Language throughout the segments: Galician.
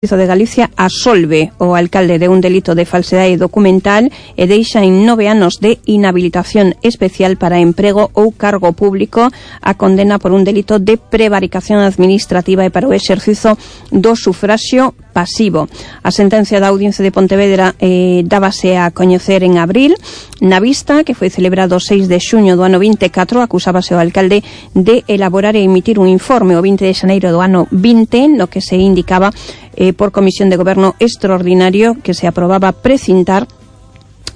de Galicia absolve o alcalde de un delito de falsedade documental e deixa en 9 anos de inhabilitación especial para emprego ou cargo público a condena por un delito de prevaricación administrativa e para o exercizo do sufraxio pasivo. A sentencia da Audiencia de Pontevedra dábase a coñecer en abril. Na vista, que foi celebrado o 6 de xuño do ano 24, acusábase o alcalde de elaborar e emitir un informe o 20 de xaneiro do ano 20, no que se indicaba por comisión de goberno extraordinario que se aprobaba precintar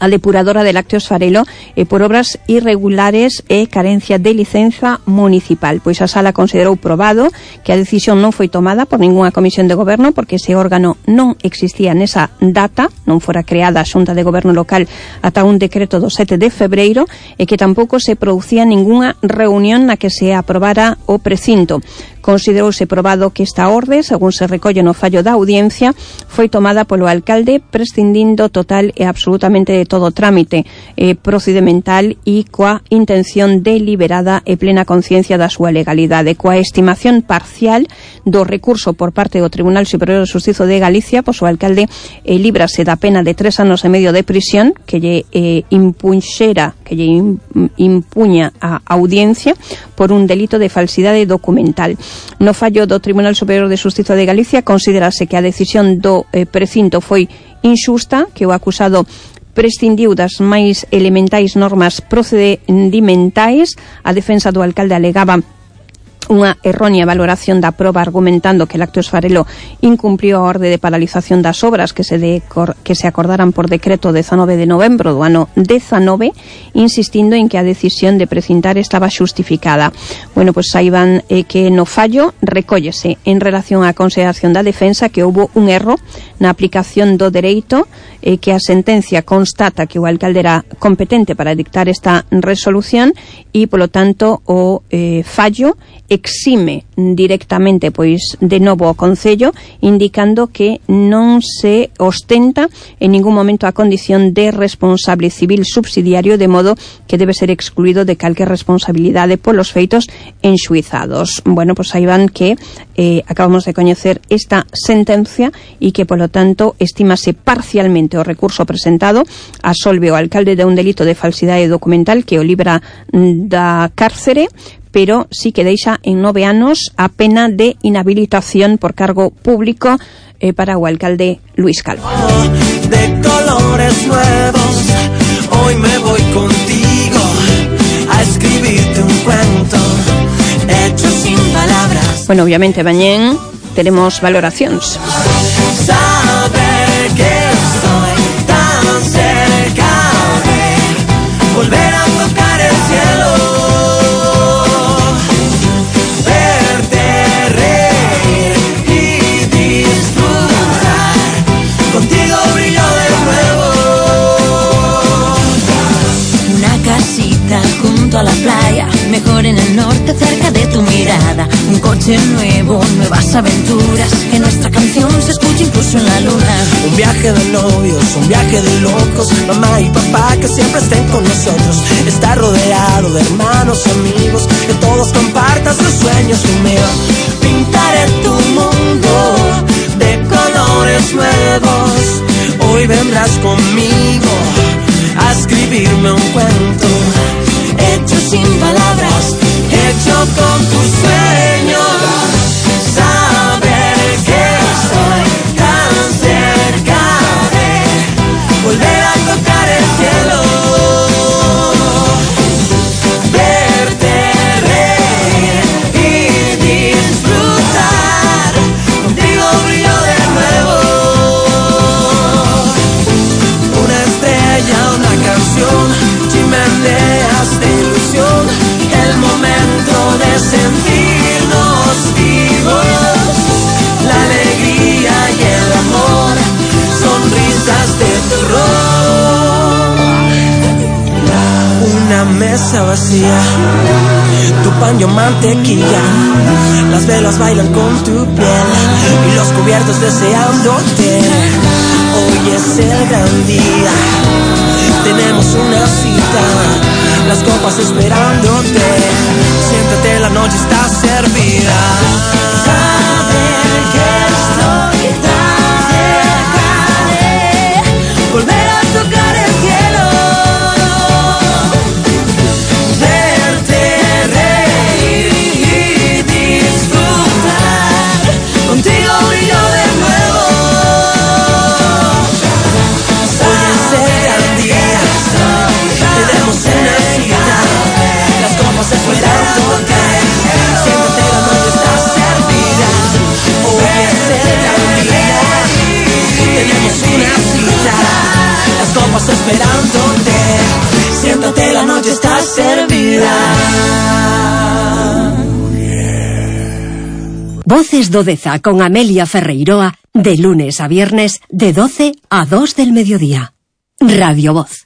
a depuradora de lácteos Farelo por obras irregulares e carencia de licenza municipal. Pois a sala considerou probado que a decisión non foi tomada por ningunha comisión de goberno porque ese órgano non existía nesa data, non fora creada a Xunta de Goberno Local ata un decreto do 7 de febreiro e que tampouco se producía ningunha reunión na que se aprobara o precinto. Considerouse probado que esta orde, según se recolle no fallo da audiencia, foi tomada polo alcalde prescindindo total e absolutamente de todo trámite procedimental e coa intención deliberada e plena conciencia da súa legalidade. Coa estimación parcial do recurso por parte do Tribunal Superior de Xustiza de Galicia, pois o alcalde líbrase da pena de 3 anos e medio de prisión que lle impuña a audiencia por un delito de falsidade documental. No fallo do Tribunal Superior de Xustiza de Galicia considerase que a decisión do precinto foi inxusta, que o acusado prescindiu das máis elementais normas procedimentais. A defensa do alcalde alegaba unha errónea valoración da proba argumentando que Lácteos Farelo incumpliu a orde de paralización das obras que se acordaran por decreto 19 de novembro do ano 19, insistindo en que a decisión de precintar estaba xustificada. Bueno, pois saiban que no fallo recóllese en relación á consideración da defensa que houbo un erro na aplicación do dereito, que a sentencia constata que o alcalde era competente para dictar esta resolución e, polo tanto, o fallo exime directamente pois de novo o Concello, indicando que non se ostenta en ningún momento a condición de responsable civil subsidiario, de modo que debe ser excluído de calquer responsabilidade polos feitos enxuizados. Bueno, pois aí van que acabamos de coñecer esta sentencia e que, polo tanto, estímase parcialmente o recurso presentado, absolve o alcalde de un delito de falsidade documental que o libra da cárcere, pero sí que deixa en 9 anos a pena de inhabilitación por cargo público para o alcalde Luis Calvo. De colores nuevos, hoy me voy contigo a escribirte un cuento hecho sin palabras. Bueno, obviamente, mañén teremos valoracións. Saber que estoy tan cerca de volver a tocar el cielo. Junto a la playa, mejor en el norte, cerca de tu mirada. Un coche nuevo, nuevas aventuras, que nuestra canción se escuche incluso en la luna. Un viaje de novios, un viaje de locos, mamá y papá que siempre estén con nosotros. Estar rodeado de hermanos y amigos, que todos compartan sus sueños conmigo. Pintaré tu mundo de colores nuevos, hoy vendrás conmigo a escribirme un cuento hecho sin palabras, hecho con tus sueños. Saber que estoy tan cerca de volver a tocar el cielo, verte reír y disfrutar, contigo brillo de nuevo. Una estrella, una canción, chimeneas de ilusión, el momento de sentirnos vivos, la alegría y el amor, sonrisas de terror. Una mesa vacía, tu pan y mantequilla, las velas bailan con tu piel y los cubiertos deseándote. Hoy es el gran día, tenemos una cita, las copas esperándote. Siéntate, la noche está servida. Saber que estoy tan esperándote. Siéntate, la noche está servida. Voces do Deza con Amelia Ferreiroa, de lunes a viernes, de 12 a 2 del mediodía. Radio Voz.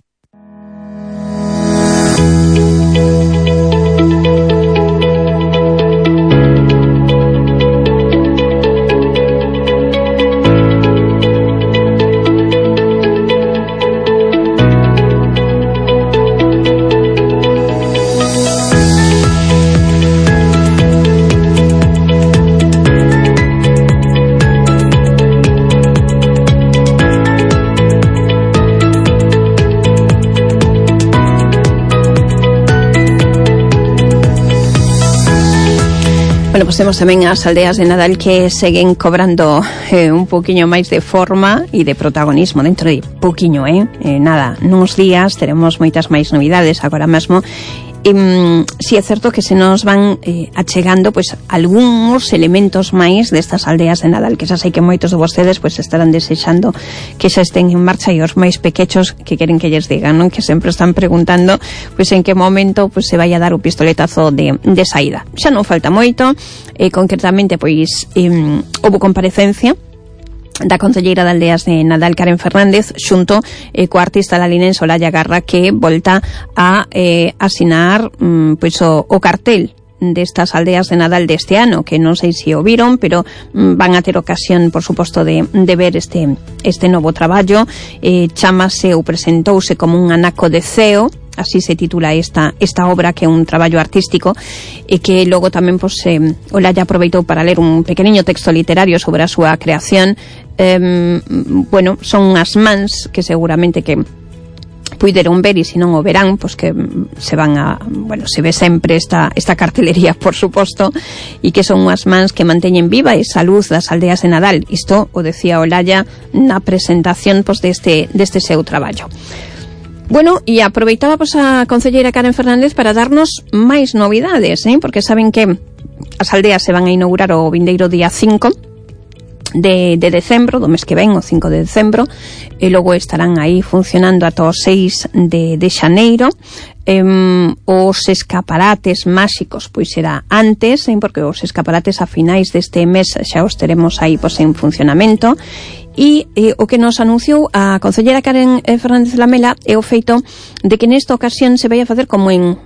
Bueno, pues temos tamén as aldeas de Nadal que seguen cobrando un poquinho máis de forma e de protagonismo dentro de poquinho, nada, nuns días teremos moitas máis novidades agora mesmo. Si é certo que se nos van achegando pois algúns elementos máis destas aldeas de Nadal, que xa sei que moitos de vostedes pois estarán desexando que xa estén en marcha, e os máis pequechos que queren que lles digan, non? Que sempre están preguntando pois en que momento pois se vai a dar o pistoletazo de saída. Xa non falta moito, concretamente pois houve comparecencia da concelleira de Aldeas de Nadal, Karen Fernández, xunto coa artista lalinense Olalla Garra, que volta a asinar pois o cartel destas aldeas de Nadal deste ano, que non sei se o viron, pero van a ter ocasión, por suposto, de ver este novo traballo. Chamase ou presentouse como un anaco de ceo, así se titula esta obra, que é un traballo artístico, e que logo tamén pois, Olalla aproveitou para ler un pequeniño texto literario sobre a súa creación. Bueno, son unhas mans que seguramente que puideron ver, e se non o verán, pois que se van a, bueno, se ve sempre esta cartelería, por suposto, e que son unhas mans que manteñen viva esa luz das aldeas de Nadal. Isto o decía Olalla na presentación pois deste seu traballo. Bueno, e aproveitaba pois a concelleira Karen Fernández para darnos máis novidades, porque saben que as aldeas se van a inaugurar o vindeiro día 5 de decembro, do mes que ven, o 5 de decembro, e logo estarán aí funcionando ata o 6 de xaneiro. Os escaparates máxicos pois será antes, porque os escaparates a finais deste mes xa os teremos aí pois en funcionamento. E o que nos anunciou a concelleira Karen Fernández Lamela é o feito de que nesta ocasión se vai a facer como en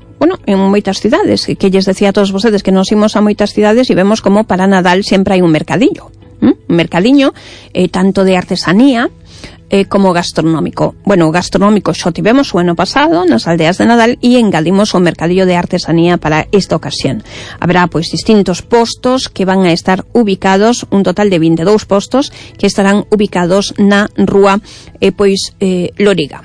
moitas cidades, que lles decía a todos vostedes que nos imos a moitas cidades e vemos como para Nadal sempre hai un mercadillo. Un mercadiño tanto de artesanía como gastronómico. Bueno, o gastronómico xo tivemos o ano pasado nas aldeas de Nadal, e engadimos o mercadillo de artesanía para esta ocasión. Haberá pois distintos postos que van a estar ubicados, un total de 22 postos que estarán ubicados na rúa Loriga.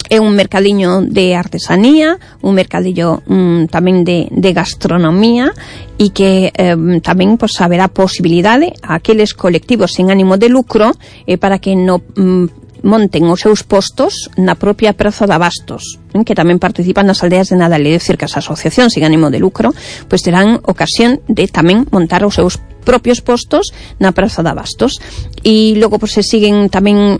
É un mercadiño de artesanía, un mercadillo tamén de gastronomía, e que tamén pois, haberá posibilidade a aqueles colectivos sen ánimo de lucro para que monten os seus postos na propia Praza de Abastos, que tamén participan nas aldeas de Nadal. É dicir, que as asociacións sen ánimo de lucro pois terán ocasión de tamén montar os seus propios postos na Praza de Abastos. E logo pois, se siguen tamén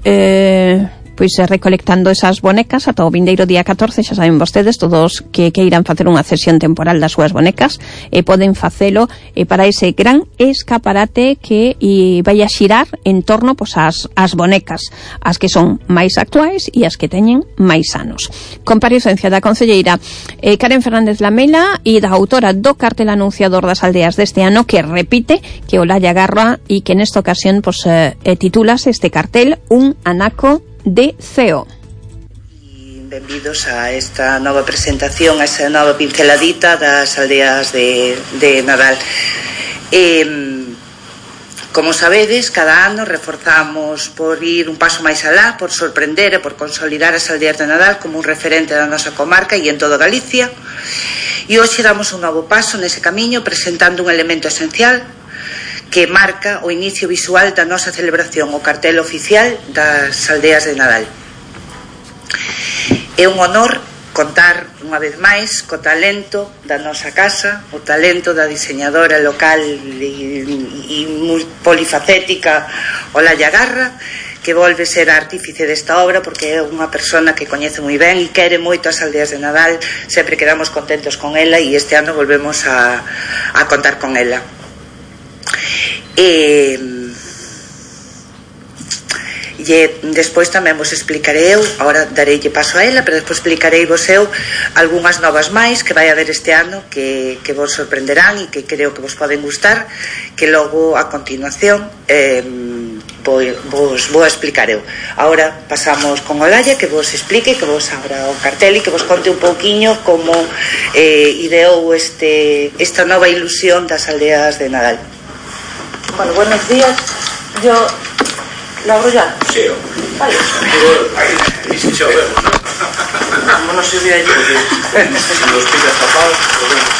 pois recolectando esas bonecas ata o vindeiro día 14, xa saben vostedes, todos que queiran facer unha cesión temporal das súas bonecas poden facelo para ese gran escaparate que vai a xirar en torno pois as bonecas, as que son máis actuais e as que teñen máis anos. Comparecencia da concelleira Karen Fernández Lamela e da autora do cartel anunciador das aldeas deste ano, que repite que Olalla Garra, e que nesta ocasión pois titúlase este cartel Un anaco de ceo. Benvidos a esta nova presentación, a esta nova pinceladita das aldeas de Nadal. Como sabedes, cada ano reforzamos por ir un paso máis alá, por sorprender e por consolidar as aldeas de Nadal como un referente da nosa comarca e en toda Galicia. E hoxe damos un novo paso nese camiño, presentando un elemento esencial que marca o inicio visual da nosa celebración, o cartel oficial das aldeas de Nadal. É un honor contar unha vez máis co talento da nosa casa, o talento da diseñadora local e polifacética Olalla Garra, que volve ser a artífice desta obra, porque é unha persona que coñece moi ben e quere moito as aldeas de Nadal. Sempre quedamos contentos con ela e este ano volvemos a contar con ela. Despois tamén vos explicarei eu, agora dareille paso a ela, pero despois explicarei vos eu algunhas novas máis que vai haber este ano que vos sorprenderán e que creo que vos poden gustar, que logo a continuación vos vou a explicar eu. Agora pasamos con Olalla, que vos explique, que vos abra o cartel e que vos conte un pouquiño como ideou esta nova ilusión das aldeas de Nadal. Bueno, buenos días. Yo... ¿Lo abro ya? Sí. Vale. Y si chovemos, ¿no? Como no se ve allí. Si los pillas tapados, podemos.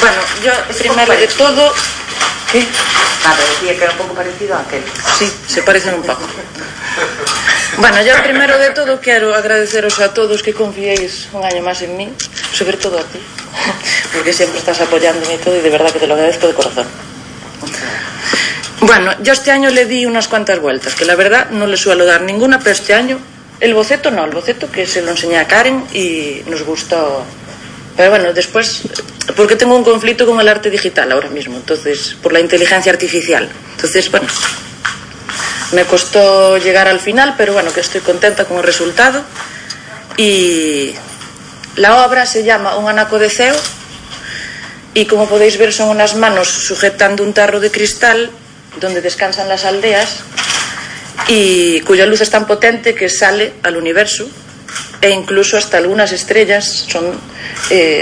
Bueno, yo primero de todo... ¿Qué? Nada, decía que era un pouco parecido a aquel. Sí, se parecen un pouco. Bueno, yo primero de todo quero agradeceros a todos que confiéis un año más en mí, sobre todo a ti, porque siempre estás apoyándome y todo, y de verdad que te lo agradezco de corazón. Bueno, yo este año le di unas cuantas vueltas, que la verdad no le suelo dar ninguna, pero este año el boceto no, el boceto que se lo enseñé a Karen y nos gustó. Pero bueno, después, porque tengo un conflicto con el arte digital ahora mismo, entonces, por la inteligencia artificial. Entonces, bueno, me costó llegar al final, pero bueno, que estoy contenta con el resultado. Y la obra se llama Un anaco de ceo, y como podéis ver son unas manos sujetando un tarro de cristal donde descansan las aldeas y cuya luz es tan potente que sale al universo, e incluso hasta algunas estrellas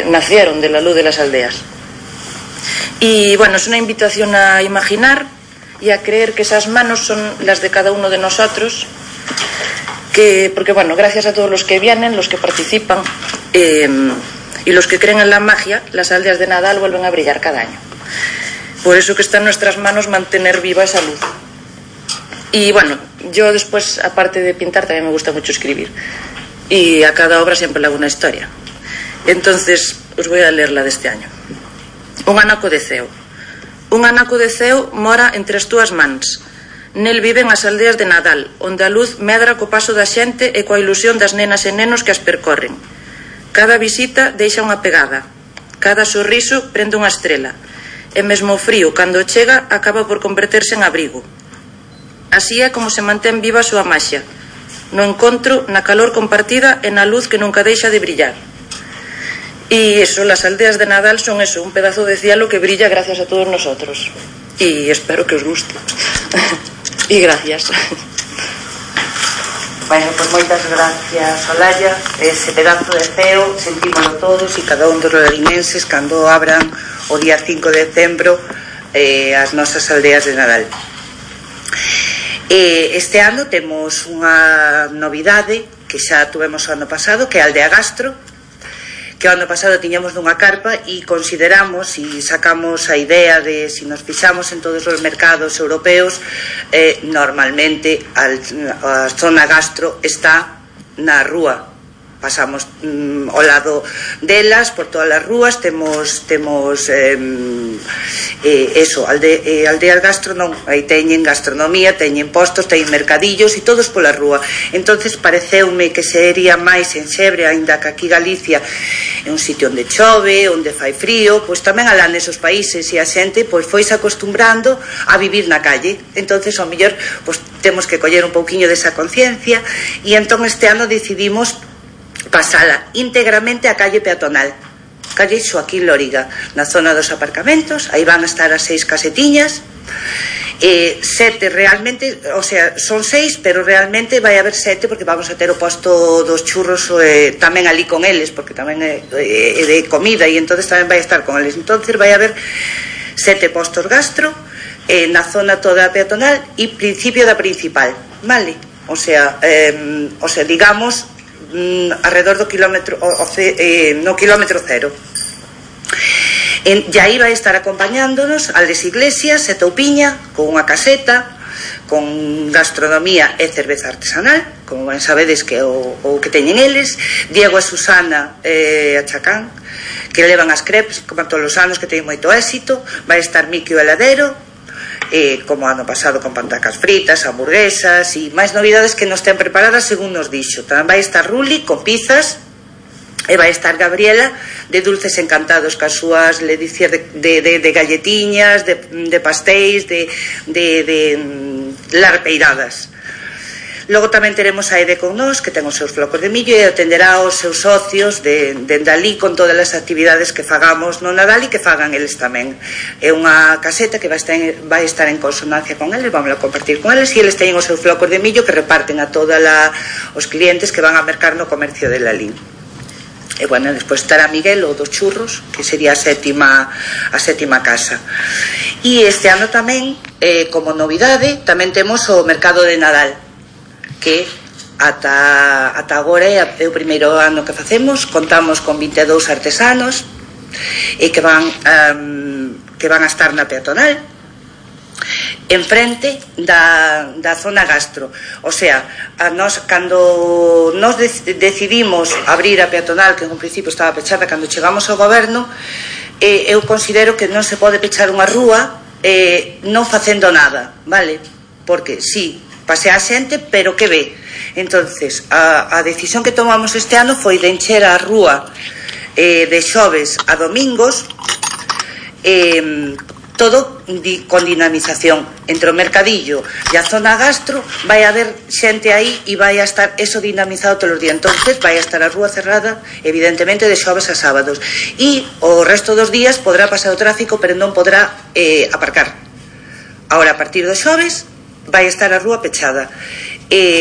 nacieron de la luz de las aldeas. Y bueno, es una invitación a imaginar y a creer que esas manos son las de cada uno de nosotros, porque bueno, gracias a todos los que vienen, los que participan y los que creen en la magia, las aldeas de Nadal vuelven a brillar cada año. Por eso que está en nuestras manos mantener viva esa luz. Y bueno, yo después, aparte de pintar, también me gusta mucho escribir, y a cada obra siempre le hago una historia. Entonces os voy a leer la de este año. Un anaco de ceo. Un anaco de ceo mora entre as túas mans. Nel viven as aldeas de Nadal, onde a luz medra co paso da xente e coa ilusión das nenas e nenos que as percorren. Cada visita deixa unha pegada, cada sorriso prende unha estrela, e mesmo o frío, cando chega, acaba por converterse en abrigo. Así é como se mantén viva a súa maxia, no encontro, na calor compartida e na luz que nunca deixa de brillar. Y eso, las aldeas de Nadal son eso, un pedazo de cielo que brilla gracias a todos nosotros. Y espero que os guste. Y gracias. Bueno, pues moitas gracias, Olalla. Ese pedazo de ceo sentímoslo todos e cada un dos larimenses cando abran o día 5 de decembro as nosas aldeas de Nadal. Este ano temos unha novidade que xa tuvemos o ano pasado, que é a Aldea Gastro, que o ano pasado tiñamos nunha carpa e consideramos e sacamos a idea de si nos fixamos en todos os mercados europeos, normalmente a zona gastro está na rúa. Pasamos ao lado delas, por todas as rúas, temos eso, aldeas gastro non, aí teñen gastronomía, teñen postos, teñen mercadillos e todos pola rúa. Entonces pareceume que sería máis en Xebre, aínda que aquí Galicia é un sitio onde chove, onde fai frío, pois tamén alá nesos países e a xente pois foise acostumbrando a vivir na calle. Entonces ao mellor pois temos que coller un pouquiño desa conciencia e entón este ano decidimos pasala íntegramente a calle peatonal, calle Xoaquín Lóriga, na zona dos aparcamentos. Aí van a estar as 6 casetiñas, 7 realmente, o sea, son 6, pero realmente vai haber 7 porque vamos a ter o posto dos churros tamén ali con eles, porque tamén é de comida e entonces tamén vai estar con eles. Entonces vai haber 7 postos gastro na zona toda peatonal e principio da principal, vale? O sea, digamos alrededor do kilómetro no kilómetro cero. E aí vai estar acompañándonos Aldes Iglesias e Toupiña con unha caseta con gastronomía e cerveza artesanal, como ben sabedes que é o que teñen eles. Diego e Susana a Chacán, que levan as crepes como todos os anos, que teñen moito éxito. Vai estar Miki o heladero, como ano pasado, con pantacas fritas, hamburguesas e máis novidades que nos ten preparadas según nos dixo. Tamén vai estar Ruli con pizzas, e vai estar Gabriela de dulces encantados, cas súas ledicias de galletiñas, de pastéis, de larpeiradas. Logo tamén teremos a Ede con nós, que ten os seus flocos de millo e atenderá aos seus socios de Dalí con todas as actividades que fagamos no Nadal e que fagan eles tamén. É unha caseta que vai estar en consonancia con eles, vamos a compartir con eles, e eles teñen os seus flocos de millo que reparten a todos os clientes que van a mercar no comercio de Lalín. E bueno, despois estará Miguel, o dos churros, que sería a sétima casa. E este ano tamén, como novidade, tamén temos o mercado de Nadal, que ata agora é o primeiro ano que facemos. Contamos con 22 artesanos e que van a estar na peatonal, enfrente da zona gastro. O sea, cando nos decidimos abrir a peatonal, que en un principio estaba pechada, cando chegamos ao goberno, eu considero que non se pode pechar unha rúa non facendo nada, vale? Porque sí, pasea a xente, pero que ve? Entonces, a decisión que tomamos este ano foi de encher a rúa de xoves a domingos, todo con dinamización. Entre o mercadillo e a zona gastro vai haber xente aí e vai a estar eso dinamizado todos os días. Entonces vai a estar a rúa cerrada, evidentemente, de xoves a sábados, e o resto dos días podrá pasar o tráfico, pero non podrá aparcar. Ahora, a partir dos xoves vai estar a rúa pechada.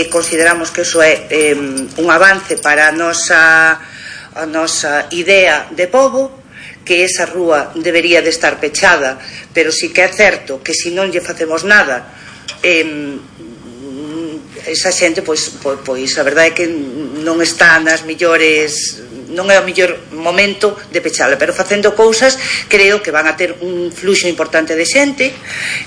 Consideramos que iso é un avance para a nosa idea de pobo, que esa rúa debería de estar pechada, pero sí que é certo que se non lle facemos nada, esa xente, pois a verdade é que non está nas millores, non é o mellor momento de pechala, pero facendo cousas creo que van a ter un fluxo importante de xente,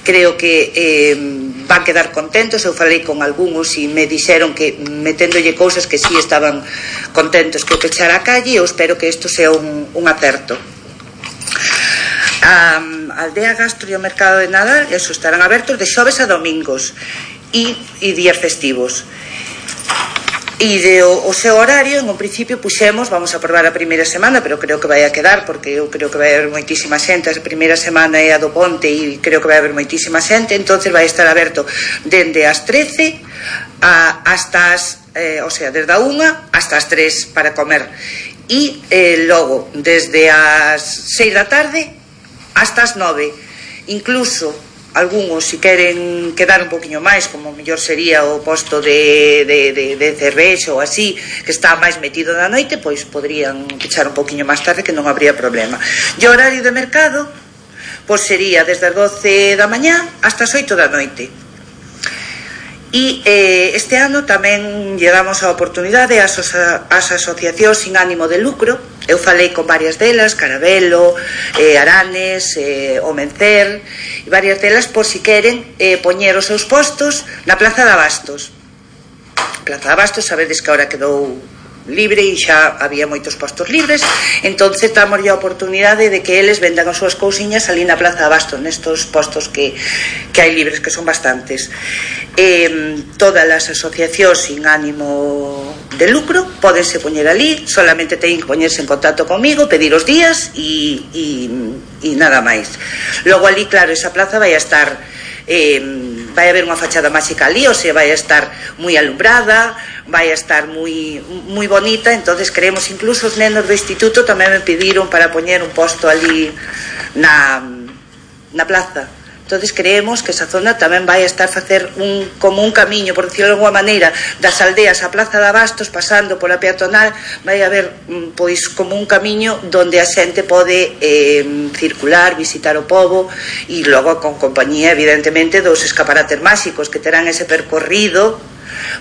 creo que van quedar contentos. Eu falei con algúns e me dixeron que meténdolle cousas que sí estaban contentos que pechara a calle, e eu espero que isto sea un acerto. A aldea gastro e o mercado de Nadal, eso, estarán abertos de xoves a domingos e días festivos. E o seu horario, en un principio puxemos, vamos a probar a primeira semana, pero creo que vai a quedar, porque eu creo que vai haber moitísima xente. A primeira semana é a do Ponte e creo que vai haber moitísima xente, entonces vai estar aberto dende as 13 hasta o sea, desde a 1 hasta as 3 para comer, e logo desde as 6 da tarde hasta as 9. Incluso algúns, se queren quedar un poquinho máis, como mellor sería o posto de cervexa ou así, que está máis metido na noite, pois podrían pechar un poquinho máis tarde, que non habría problema. E o horario de mercado pois sería desde as 12 da mañá hasta as 8 da noite. E este ano tamén lle damos a oportunidade ás asociacións sin ánimo de lucro. Eu falei con varias delas, Carabelo, Aranes, Omencer, e varias delas, por si queren poñer os seus postos na Plaza de Abastos. Plaza de Abastos, sabedes que agora quedou libre e xa había moitos postos libres, entonces damos a oportunidade de que eles vendan as súas cousiñas ali na Plaza de Abastos, nestos postos que hai libres, que son bastantes. Todas as asociacións sin ánimo de lucro pódense poñer ali, solamente teñen que poñerse en contacto comigo, pedir os días e nada máis. Logo ali, claro, esa plaza vai a estar, vai haber unha fachada máxica ali, ou sea, vai a estar moi alumbrada, vai a estar moi bonita. Entonces creemos, incluso os nenos do instituto tamén me pediron para poñer un posto ali na plaza. Entonces creemos que esa zona tamén vai a estar facer como un camiño, por decirlo de alguma maneira, das aldeas á Plaza de Abastos, pasando pola peatonal, vai haber pois como un camiño donde a xente pode circular, visitar o pobo, e logo con compañía, evidentemente, dos escaparates máxicos que terán ese percorrido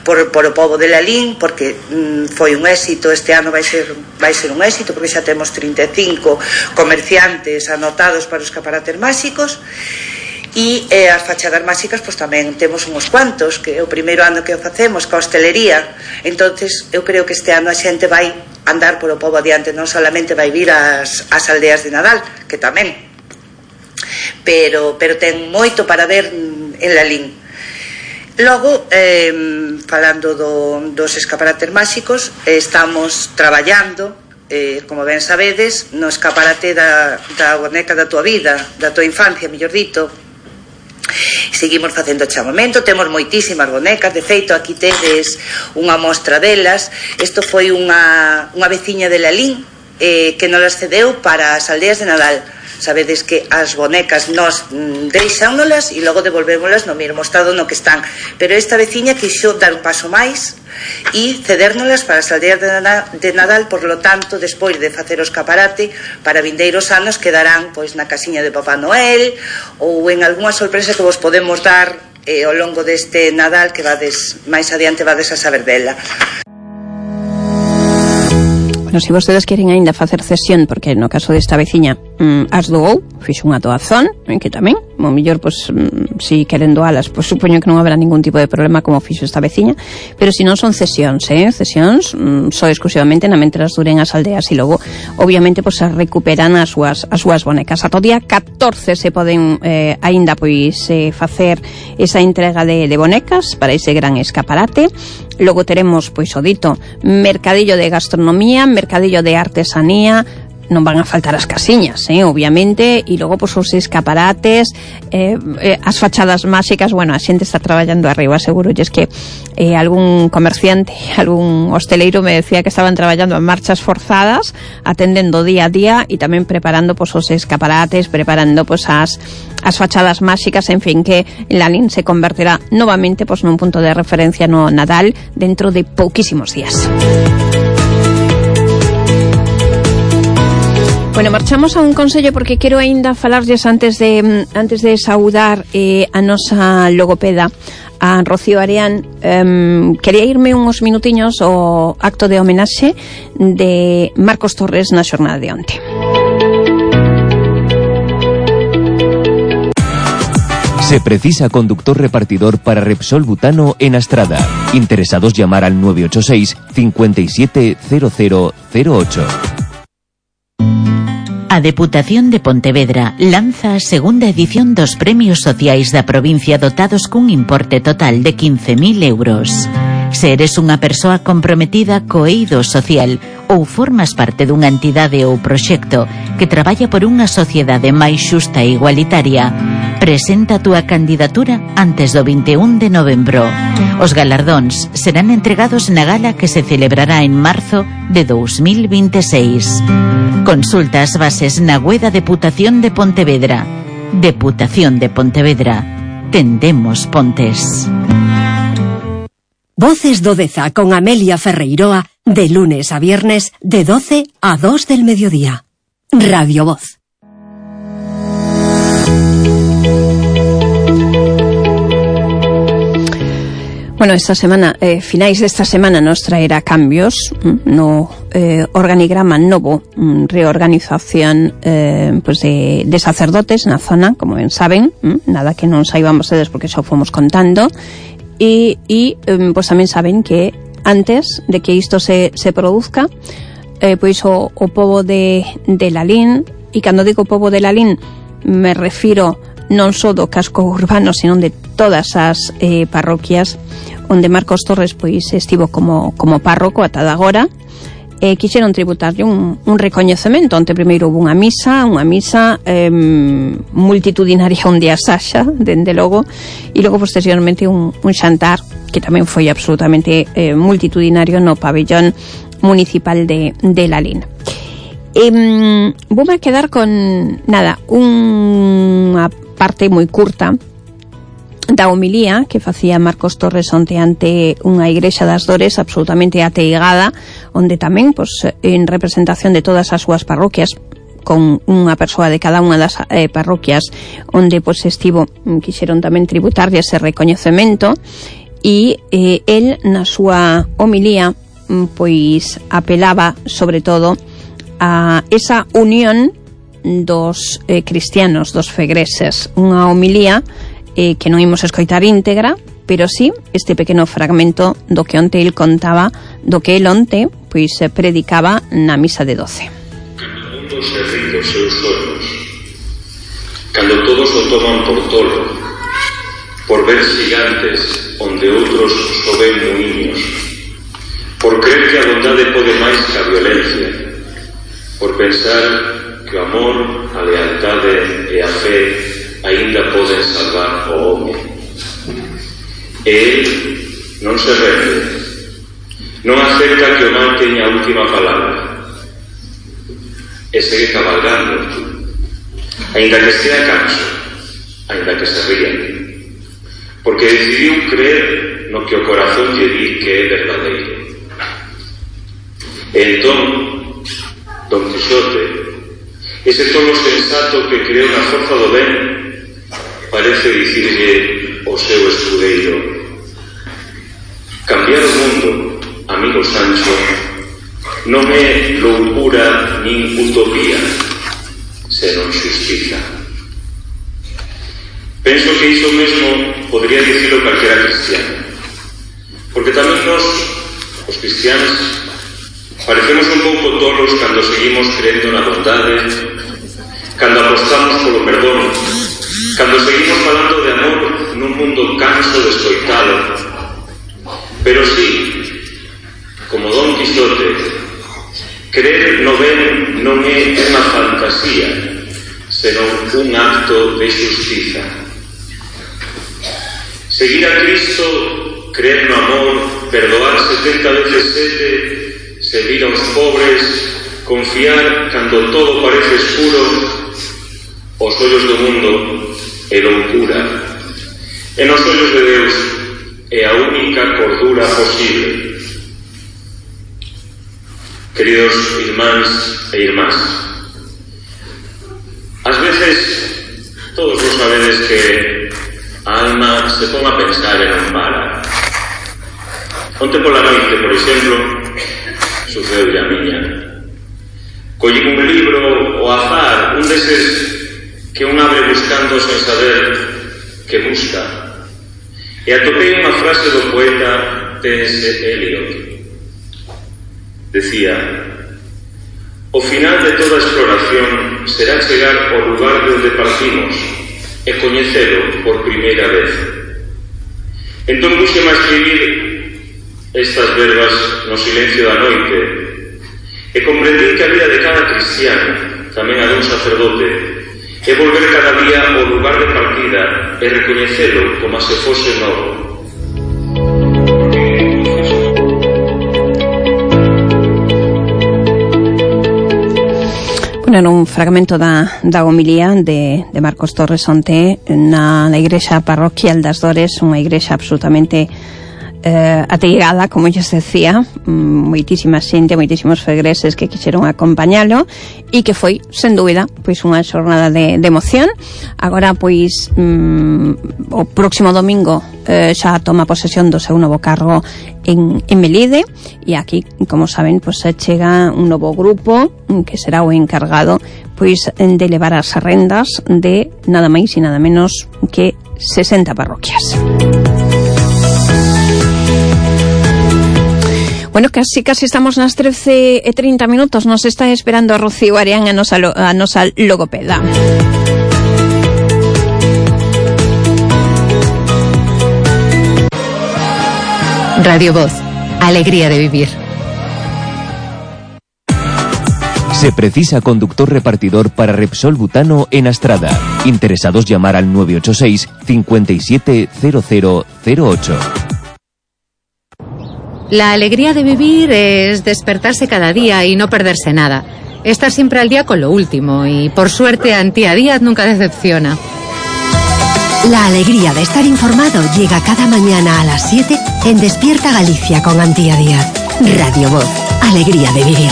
por o pobo de Lalín, porque foi un éxito. Este ano vai ser un éxito, porque xa temos 35 comerciantes anotados para os escaparates máxicos. E as fachadas máxicas pois tamén temos uns cuantos, que é o primeiro ano que o facemos ca hostelería. Entonces eu creo que este ano a xente vai andar polo pobo adiante, non solamente vai vir ás aldeas de Nadal, que tamén, pero ten moito para ver en Lalín. Logo, falando dos escaparates máxicos, estamos traballando, como ben sabedes, no escaparate da boneca da tua vida, da tua infancia, mellor dito. Seguimos facendo chamamento, temos moitísimas bonecas, de feito aquí tedes unha mostra delas. Isto foi unha veciña de Lalín que nos las cedeu para as aldeas de Nadal. Sabedes que as bonecas nos deixámolas e logo devolvémolas no mesmo estado no que están, pero esta veciña quixo dar un paso máis e cedérnolas para as aldeas de Nadal. Por lo tanto, despois de facer o escaparate, para vindeiros anos quedarán pois na casiña de Papá Noel ou en algunha sorpresa que vos podemos dar ao longo deste Nadal, que vades máis adiante vades a saber dela. Bueno, se vostedes queren aínda facer cesión, porque no caso desta veciña as doou, fixo unha doazón, que tamén, o mellor, pois, si queren doalas, pois supoño que non haberá ningún tipo de problema como fixo esta veciña, pero se non son cesións, cesións só exclusivamente na mentras duren as aldeas, e logo, obviamente, pois, as recuperan as súas bonecas. Ata o día 14 se poden aínda, pois, facer esa entrega de bonecas para ese gran escaparate. Logo teremos, pois, o dito, mercadillo de gastronomía, mercadillo de artesanía, non van a faltar as casiñas, obviamente, e logo pois, os escaparates, as fachadas máxicas. Bueno, a xente está traballando arriba, seguro, e es que algún comerciante, algún hosteleiro me decía que estaban traballando en marchas forzadas, atendendo día a día e tamén preparando pois, os escaparates, preparando pois, as fachadas máxicas, en fin, que Lalín se convertirá novamente pois, nun punto de referencia no Nadal dentro de pouquísimos días. Bueno, marchamos a un consello porque quero aínda falarlles antes de saudar a nosa logopeda, a Rocío Areán. Quería irme uns minutiños ao acto de homenaxe de Marcos Torres na xornada de onte. Se precisa conductor repartidor para Repsol Butano en Astrada. Interesados llamar al 986 57 0008. A Deputación de Pontevedra lanza a segunda edición dos Premios Sociais da provincia dotados cun importe total de 15.000 euros. Se eres unha persoa comprometida co eido social ou formas parte dunha entidade ou proxecto que traballa por unha sociedade máis xusta e igualitaria, presenta a túa candidatura antes do 21 de novembro. Os galardóns serán entregados na gala que se celebrará en marzo de 2026. Consulta as bases na web da Deputación de Pontevedra. Deputación de Pontevedra. Tendemos pontes. Voces do Deza con Amelia Ferreiroa, de lunes a viernes de 12 a 2 del mediodía. Radio Voz. Bueno, esta semana, finais desta semana nos traerá cambios no organigrama novo, reorganización pues de sacerdotes na zona, como ben saben, nada que non saibamos dedes porque xa fomos contando, e pues tamén saben que antes de que isto se produzca, pois o pobo de Lalín, e cando digo pobo de Lalín me refiro non só do casco urbano, sino de todas as parroquias onde Marcos Torres pois estivo como párroco ata agora. Quixeron tributarlle un recoñecemento. Onte primeiro houve unha misa multitudinaria onde a Saxa, dende logo, e logo posteriormente un xantar que tamén foi absolutamente multitudinario no pabellón municipal de Lalín. Voume quedar con unha parte moi curta da homilía que facía Marcos Torres onte ante unha igrexa das Dores absolutamente ateigada, onde tamén, pois, en representación de todas as súas parroquias, con unha persoa de cada unha das parroquias onde pois estivo, quixeron tamén tributarlle ese recoñecemento, e el na súa homilía pois apelaba sobre todo a esa unión dos cristianos, dos fegreses, unha homilía que non imos escoitar íntegra, pero sí este pequeno fragmento do que onte el contaba, do que el onte pois predicaba na misa de 12. Cando o mundo se rin dos seus soños, cando todos o toman por tolo, por ver gigantes onde outros só ven muiños, por creer que a bondade pode máis que a violencia, por pensar que o amor, a lealtade e a fe aínda poden salvar o home. E el non se rende, non acepta que o mal teña a última palabra, e segue cabalgando, aínda que estea canso, aínda que se ría, porque decidiu creer no que o corazón lle di que é verdadeiro. E entón, Don Quixote, ese tolo sensato que creou na forza do ben, parece dicirlle ao seu escudeiro: cambiar o mundo, amigo Sancho, non é loucura nin utopía, senón xustiza. Penso que iso mesmo podría dicirlo calquera cristiano, porque tamén nos, os cristianos, parecemos un pouco tolos cando seguimos creendo na bondade, cando apostamos polo perdón, cando seguimos falando de amor nun mundo canso de escoitalo. Pero sí, como Don Quixote, creer no ben non é unha fantasía, senón un acto de xustiza. Seguir a Cristo, creer no amor, perdoar 70 veces 7, servir aos pobres, confiar cando todo parece escuro, os ollos do mundo é loucura, e nos ollos de Deus é a única cordura posible. Queridos irmáns e irmás, ás veces todos vos sabedes que a alma se pon a pensar e non para. Onte pola noite, por exemplo, sucedeu a miña. Collín un libro ao azar, un deses que un abre buscando sen saber que busca, e atopei unha frase do poeta T.S. Eliot. Decía: o final de toda exploración será chegar ao lugar de onde partimos e coñecelo por primeira vez. Entón puxeme a escribir estas verbas no silencio da noite e comprendí que a vida de cada cristiano, tamén a dun sacerdote, é volver cada día ao lugar de partida e recoñecelo como se fose novo. Era un fragmento da homilía de Marcos Torres onte na igrexa parroquial das Dores, unha igrexa absolutamente ateigada, como yo decía, moitísima xente, moitísimos fegreses que quixeron acompañalo e que foi, sen dúbida, pois unha xornada de emoción. Agora, pois, o próximo domingo xa toma posesión do seu novo cargo en Melide, e aquí, como saben, pois chega un novo grupo que será o encargado pois de levar as rendas de nada máis e nada menos que 60 parroquias. Bueno, casi estamos nas 13:30 minutos. Nos está esperando a Rocío Arián, a nosa logopeda. Radio Voz, alegría de vivir. Se precisa conductor repartidor para Repsol Butano en Astrada. Interesados llamar al 986 570008. La alegría de vivir es despertarse cada día y no perderse nada. Estar siempre al día con lo último y, por suerte, Antía Díaz nunca decepciona. La alegría de estar informado llega cada mañana a las 7 en Despierta Galicia con Antía Díaz. Radio Voz, alegría de vivir.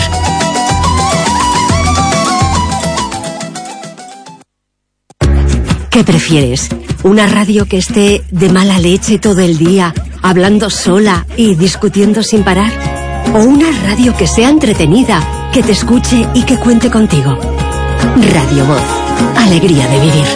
¿Qué prefieres? ¿Una radio que esté de mala leche todo el día, hablando sola y discutiendo sin parar? ¿O una radio que sea entretenida, que te escuche y que cuente contigo? Radio Voz. Alegría de vivir.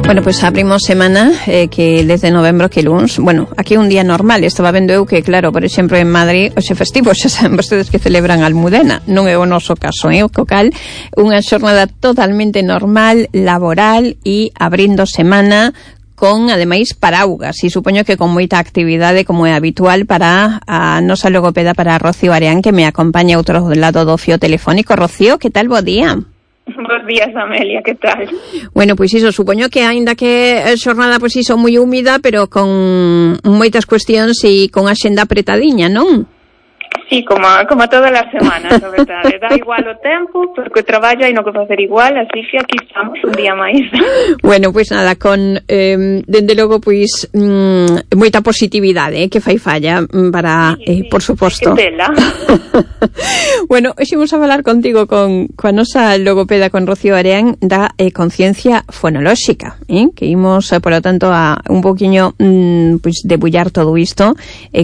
Bueno, pues abrimos semana que desde novembro que luns, bueno, aquí un día normal, estaba vendo eu que, claro, por exemplo, en Madrid, hoxe festivo, xa saben vostedes que celebran a Almudena, non é o noso caso, o cal, unha xornada totalmente normal, laboral e abrindo semana con, ademais, paraugas, e supoño que con moita actividade, como é habitual, para a nosa logopeda, para Rocío Areán, que me acompaña outro lado do fío telefónico. Rocío, que tal, bo día? Bos días, Amelia, que tal? Bueno, pois iso, supoño que aínda que a xornada pois iso moi húmida, pero con moitas cuestións e con a xenda apretadiña, non? Sí, como todas as semanas, a verdade. Dá igual o tempo, porque o traballo hai no que facer igual, así que aquí estamos un día máis. Bueno, pois nada, con, dende logo, pois, moita positividade, que fai falla para, sí, por suposto. Que tela. Bueno, hoxe vamos a falar contigo coa nosa logopeda, con Rocío Areán, da conciencia fonolóxica, que imos, polo tanto, a un poquinho, pois, debullar todo isto,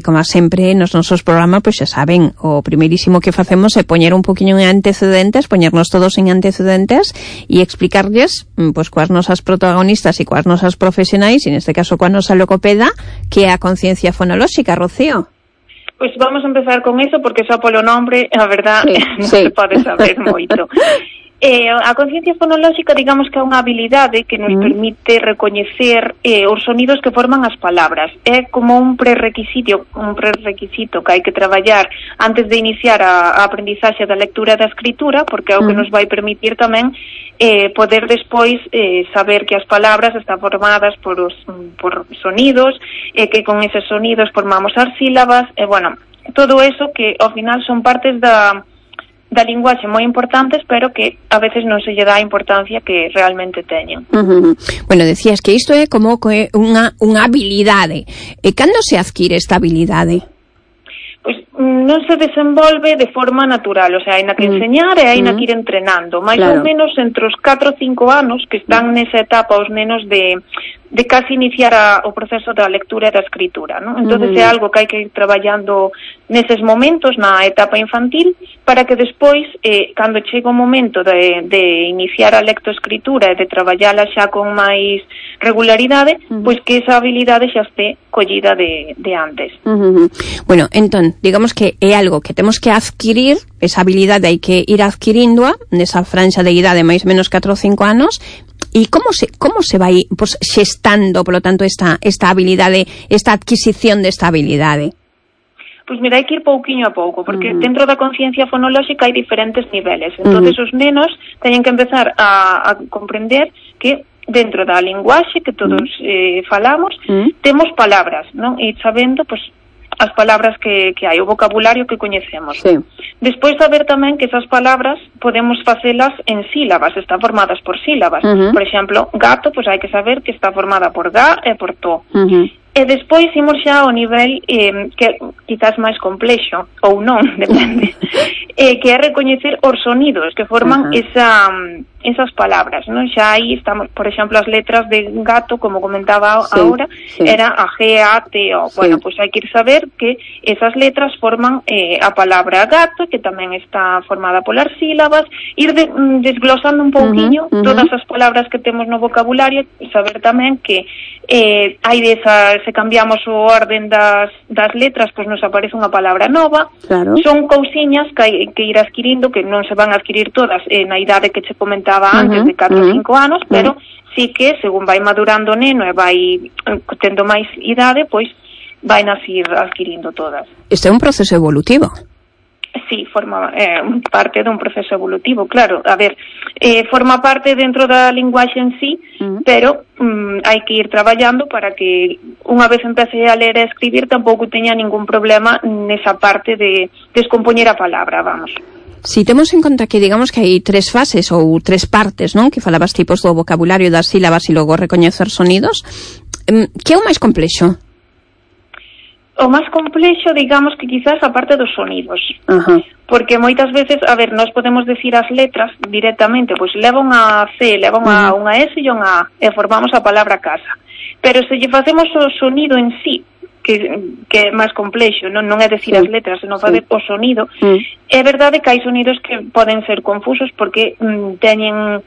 como sempre, nos nosos programas, pois, xa saben, o primeirísimo que facemos é poñer un poquinho en antecedentes, poñernos todos en antecedentes e explicarlles, pois, coas nosas protagonistas e coas nosas profesionais, e neste caso coa nosa logopeda, que é a conciencia fonolóxica, Rocío. Pois vamos a empezar con eso, porque só polo nombre, a verdad, non se pode saber moito. A conciencia fonolóxica, digamos que é unha habilidade que nos permite recoñecer os sonidos que forman as palabras. É como un prerequisito que hai que traballar antes de iniciar a aprendizaxe da lectura e da escritura, porque é o que nos vai permitir tamén poder despois saber que as palabras están formadas por sonidos, que con eses sonidos formamos as sílabas, bueno, todo eso que ao final son partes da linguaxe moi importantes, pero que a veces non se lle dá a importancia que realmente teñen. Bueno, decías que isto é como unha habilidade. E cando se adquire esta habilidade? Pois non se desenvolve de forma natural, o sea, hai na que enseñar e hai na que ir entrenando, máis ou menos entre os 4 ou 5 anos que están nesa etapa os nenos de casi iniciar o proceso da lectura e da escritura, ¿no? Entonces é algo que hai que ir traballando neses momentos na etapa infantil para que despois, cando chega o momento de iniciar a lectoescritura e de traballala xa con máis regularidade, pois que esa habilidade xa este collida de antes. Bueno, entón, digamos que é algo que temos que adquirir, esa habilidade hai que ir adquiríndoa nesa franxa de idade máis ou menos 4 ou 5 anos. E como se vai, pues, xestando, polo tanto, esta habilidade, esta adquisición desta habilidade? Pois mira, hai que ir pouquiño a pouco, porque dentro da conciencia fonolóxica hai diferentes niveles. Entonces os nenos teñen que empezar a comprender que dentro da linguaxe que todos falamos, temos palabras, non? E sabendo, pois, as palabras que hai, o vocabulario que coñecemos. Sí. Despois saber tamén que esas palabras podemos facelas en sílabas, están formadas por sílabas. Por exemplo, gato, pois hai que saber que está formada por ga e por to. E despois imos xa ao nivel que quizás máis complexo, ou non, depende, que é recoñecer os sonidos que forman esas palabras, non? Xa aí estamos, por exemplo, as letras de gato, como comentaba ahora, era a G, A, T, O. Bueno, pois hai que ir saber que esas letras forman a palabra gato, que tamén está formada polas sílabas, ir desglosando un pouquiño todas as palabras que temos no vocabulario, e saber tamén que hai desas, se cambiamos o orden das letras, pois nos aparece unha palabra nova. Son cousiñas que hai que ir adquirindo, que non se van a adquirir todas na idade que che comentaba antes, de 4 ou 5 anos, pero sí que, según vai madurando o neno e vai tendo máis idade, pois vai nas ir adquirindo todas. Este é un proceso evolutivo. Sí, forma parte dun proceso evolutivo, claro. A ver, forma parte dentro da linguaxe en sí, pero hai que ir traballando para que unha vez empece a ler e a escribir tampouco teña ningún problema nesa parte de descompoñer a palabra, vamos. Si temos en conta que digamos que hai 3 fases ou 3 partes, non? Que falabas tipos do vocabulario, das sílabas e logo recoñecer sonidos, que é o máis complexo? O máis complexo, digamos que quizás a parte dos sonidos. Porque moitas veces, a ver, nós podemos decir as letras directamente, pois leva unha C, leva unha S e unha A, e formamos a palabra casa. Pero se lle facemos o sonido en sí, que é máis complexo, non é decir as letras, senón fazer o sonido, é verdade que hai sonidos que poden ser confusos porque teñen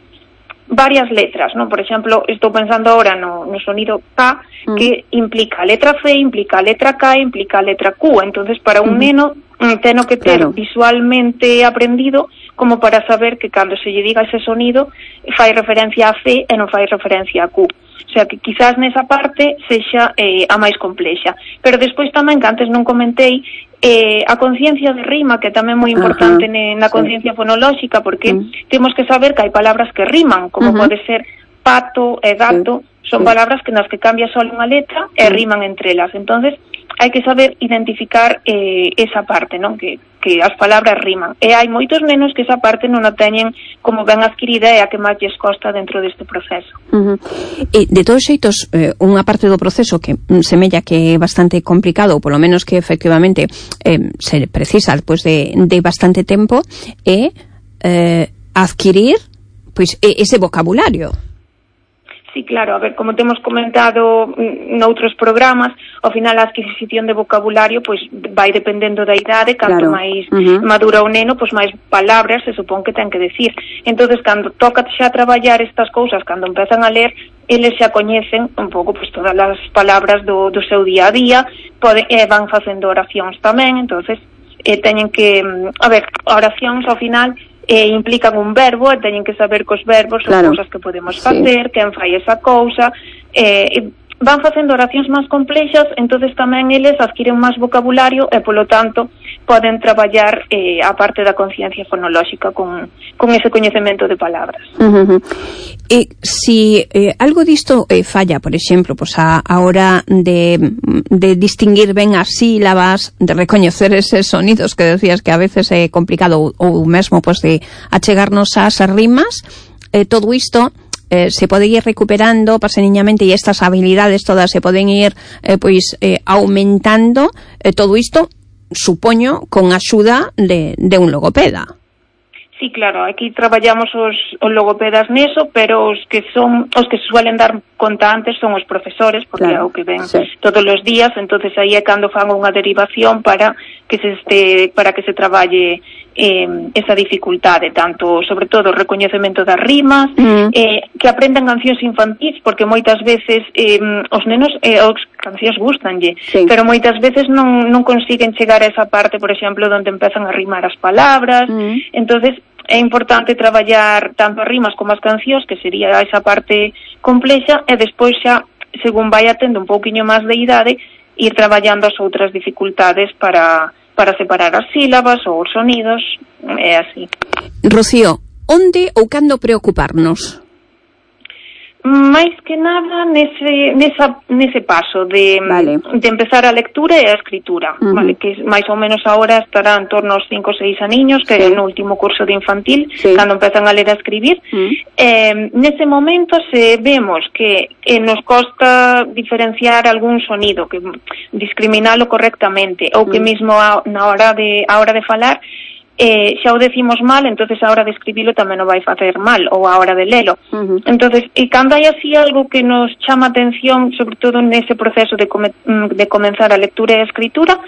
varias letras, non? Por exemplo, estou pensando agora no sonido K, que implica a letra C, implica a letra K, implica a letra Q. Entonces, para un neno, teno que ter visualmente aprendido como para saber que cando se lle diga ese sonido fai referencia a C e non fai referencia a Q. O sea, que quizás nesa parte sexa a máis complexa. Pero despois tamén, que antes non comentei, a conciencia de rima, que tamén é moi importante na conciencia fonolóxica, porque temos que saber que hai palabras que riman, como pode ser pato e gato, son palabras que nas que cambia só unha letra e riman entre elas. Entonces, hai que saber identificar esa parte, non? Que as palabras riman. E hai moitos nenos que esa parte non a teñen como ben adquirida e a que máis lles costa dentro deste proceso. E, de todos xeitos, unha parte do proceso que semella que é bastante complicado, ou polo menos que efectivamente se precisa pois, de bastante tempo, é adquirir pois ese vocabulario. Sí, claro, a ver, como temos comentado noutros programas, ao final a adquisición de vocabulario pois vai dependendo da idade, canto máis madura o neno, pois máis palabras se supón que ten que decir. Entonces, cando toca xa traballar estas cousas, cando empezan a ler, eles xa coñecen un pouco pois todas as palabras do seu día a día, van facendo oracións tamén, entonces teñen que, a ver, oracións ao final implican un verbo e teñen que saber que os verbos son cousas que podemos facer, quen fai esa cousa, van facendo oracións máis complexas, entonces tamén eles adquiren máis vocabulario e polo tanto poden traballar a parte da conciencia fonolóxica con ese coñecemento de palabras. E si algo disto falla, por exemplo, pues a hora de distinguir ben as sílabas, de recoñecer eses sonidos que decías que a veces é complicado ou mesmo pues de achegarnos ás rimas, todo isto se pode ir recuperando paseniñamente e estas habilidades todas se poden ir aumentando, todo isto supoño con axuda de un logopeda. Sí, claro, aquí traballamos os logopedas neso, pero os que suelen dar conta antes son os profesores, porque é o que ven todos os días, entonces aí é cando fan unha derivación para que se traballe esa dificultade, tanto, sobre todo, o recoñecemento das rimas, que aprendan cancións infantís, porque moitas veces os nenos os cancións gustanlle, pero moitas veces non consiguen chegar a esa parte, por exemplo, onde empezan a rimar as palabras, entonces é importante traballar tanto as rimas como as cancións, que sería esa parte complexa, e despois xa, según vai atendo un pouquiño máis de idade, ir traballando as outras dificultades para separar as sílabas ou os sonidos, é así. Rocío, onde ou cando preocuparnos? máis que nada nese paso de empezar a lectura e a escritura, vale, que máis ou menos agora estará en torno aos 5 ou 6 aniños, que é no último curso de infantil, cando empezan a ler e a escribir. Nese momento, se vemos que nos costa diferenciar algún sonido, que discriminalo correctamente, ou que mesmo a hora de falar xa o decimos mal, entonces a hora de escribilo tamén o vai facer mal, ou a hora de lelo. Entonces, e cando hai así algo que nos chama atención, sobre todo nese proceso de comenzar a lectura e a escritura,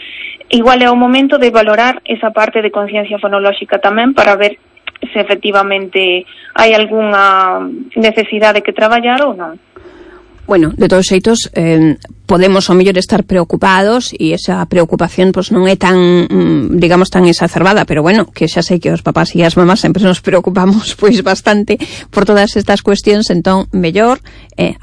igual é o momento de valorar esa parte de conciencia fonolóxica tamén, para ver se efectivamente hai algunha necesidade que traballar ou non. Bueno, de todos xeitos, podemos ao mellor estar preocupados e esa preocupación pues non é tan, digamos, tan exacerbada, pero bueno, que xa sei que os papás e as mamás sempre nos preocupamos pois bastante por todas estas cuestións, entón, mellor,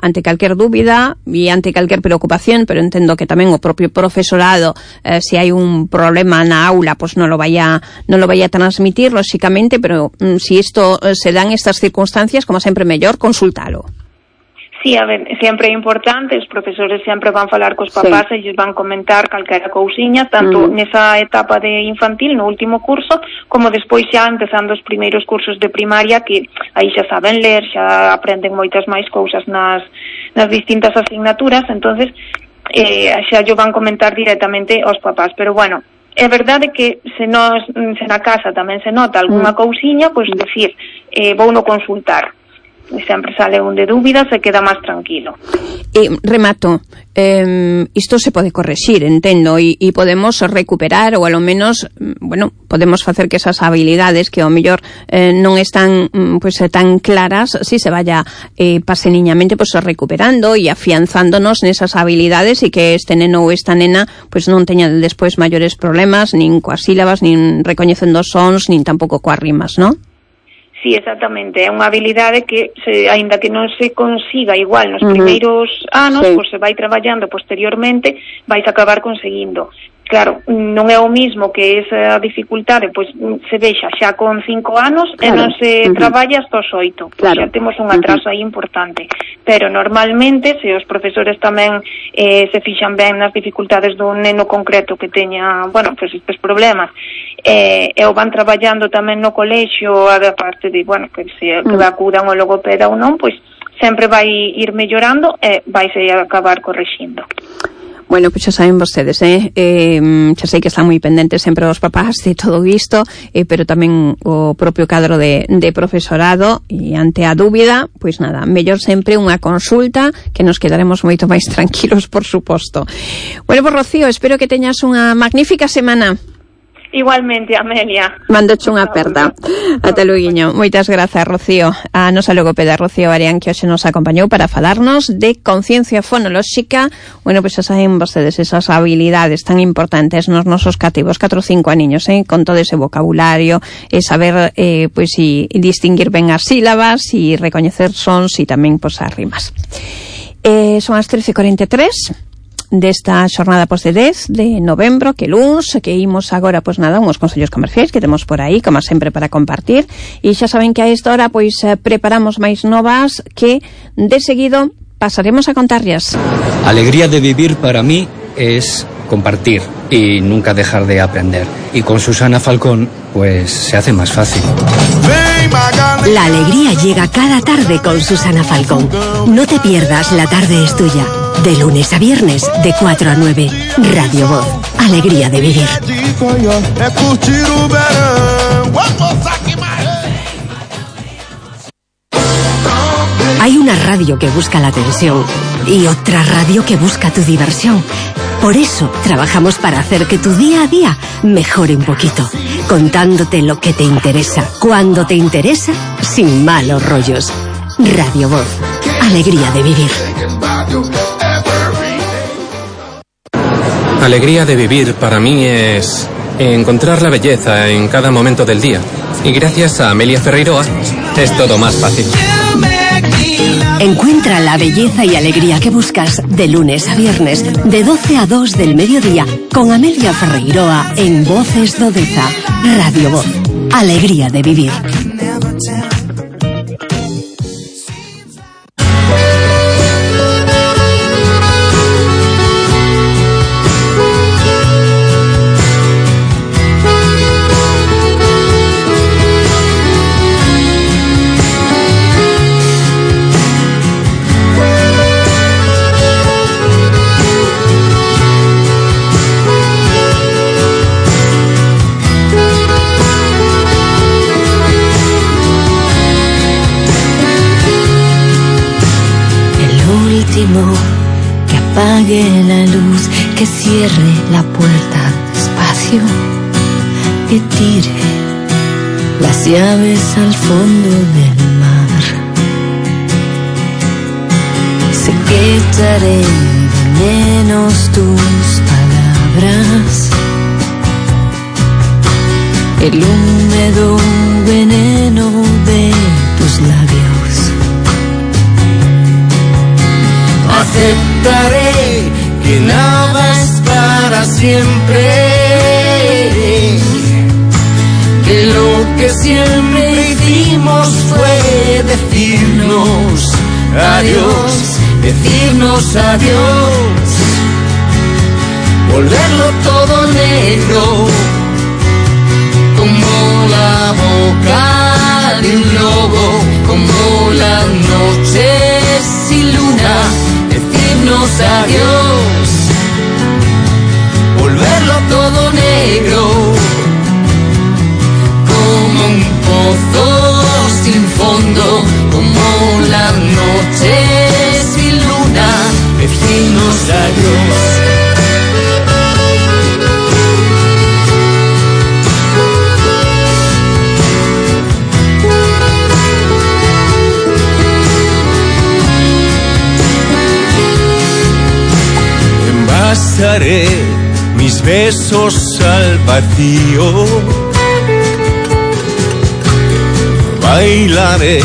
ante calquer dúbida e ante calquer preocupación, pero entendo que tamén o propio profesorado, se hai un problema na aula, pues non lo vaya a transmitir, lóxicamente, pero si isto se dan estas circunstancias, como sempre mellor, consultalo. Sí, a ver, sempre é importante, os profesores sempre van falar cos papás e lles van comentar calquera cousiña, tanto nesa etapa de infantil, no último curso, como despois xa empezando os primeiros cursos de primaria, que aí xa saben ler, xa aprenden moitas máis cousas nas distintas asignaturas, entonces xa yo van comentar directamente aos papás, pero bueno, é verdade que se na casa tamén se nota algunha cousiña, pois decir, vou no consultar. Sempre sale un de dúbidas e queda máis tranquilo. Remato, isto se pode correxir, entendo, e podemos recuperar, ou a lo menos, bueno, podemos facer que esas habilidades que ao mellor non están pues tan claras, si se vaya paseniñamente pues recuperando e afianzándonos nesas habilidades e que este neno ou esta nena pues non teña despois maiores problemas nin coas sílabas, nin recoñecendo sons, nin tampouco coas rimas, non? Sí, exactamente, é unha habilidade que, aínda que non se consiga igual nos primeiros anos, pois se vai traballando posteriormente, vais acabar conseguindo. Claro, non é o mismo que esa dificultade pois se vexa xa con 5 anos e non se traballa hasta os 8. Xa temos un atraso aí importante. Pero normalmente, se os profesores tamén se fixan ben nas dificultades dun neno concreto que teña, bueno, pois estes problemas, e o van traballando tamén no colexio, a parte de, bueno, que se acudan ao logopeda ou non, pois sempre vai ir mellorando e vaise acabar correxindo. Bueno, pois xa saben vostedes, xa sei que están moi pendentes sempre os papás de todo isto, pero tamén o propio cadro de profesorado, e ante a dúbida, pois nada, mellor sempre unha consulta, que nos quedaremos moito máis tranquilos, por suposto. Bueno, pues Rocío, espero que teñas unha magnífica semana. Igualmente, Amelia. Mandoche unha aperta. Ata luguiño. Moitas grazas, Rocío. A nosa logopeda Rocío Arián, que hoxe nos acompañou para falarnos de conciencia fonolóxica. Bueno, pois xa saben vostedes esas habilidades tan importantes nos nosos cativos, 4 ou 5 aniños, con todo ese vocabulario, saber, pois, e distinguir ben as sílabas, e recoñecer sons, e tamén, pois, as rimas. Son as 13:43. Desta xornada pois de 10 de novembro, que luns, que imos agora, pois nada, uns consellos comerciais que temos por aí, como sempre, para compartir, e xa saben que a esta hora, pois, preparamos máis novas que, de seguido, pasaremos a contarllas. Alegría de vivir para mí es compartir y nunca dejar de aprender. Y con Susana Falcón, pues se hace más fácil. La alegría llega cada tarde con Susana Falcón. No te pierdas La tarde es tuya. De lunes a viernes, de 4 a 9. Radio Voz. Alegría de vivir. Hay una radio que busca la atención y otra radio que busca tu diversión. Por eso trabajamos para hacer que tu día a día mejore un poquito, contándote lo que te interesa, cuando te interesa, sin malos rollos. Radio Voz. Alegría de vivir. Alegría de vivir para mí es encontrar la belleza en cada momento del día. Y gracias a Amelia Ferreiroa es todo más fácil. Encuentra la belleza y alegría que buscas de lunes a viernes, de 12 a 2 del mediodía, con Amelia Ferreiroa en Voces do Deza. Radio Voz. Alegría de vivir. Que apague la luz, que cierre la puerta despacio, que tire las llaves al fondo del mar. Sé que echaré de menos tus palabras, el húmedo veneno de tus labios. Aceptaré que nada es para siempre, que lo que siempre hicimos fue decirnos adiós, decirnos adiós, volverlo todo negro, como la boca de un lobo, como las noches sin luna, decirnos adiós, volverlo todo negro, como un pozo sin fondo, como las noches sin luna, decirnos adiós. Envasaré mis besos al vacío, bailaré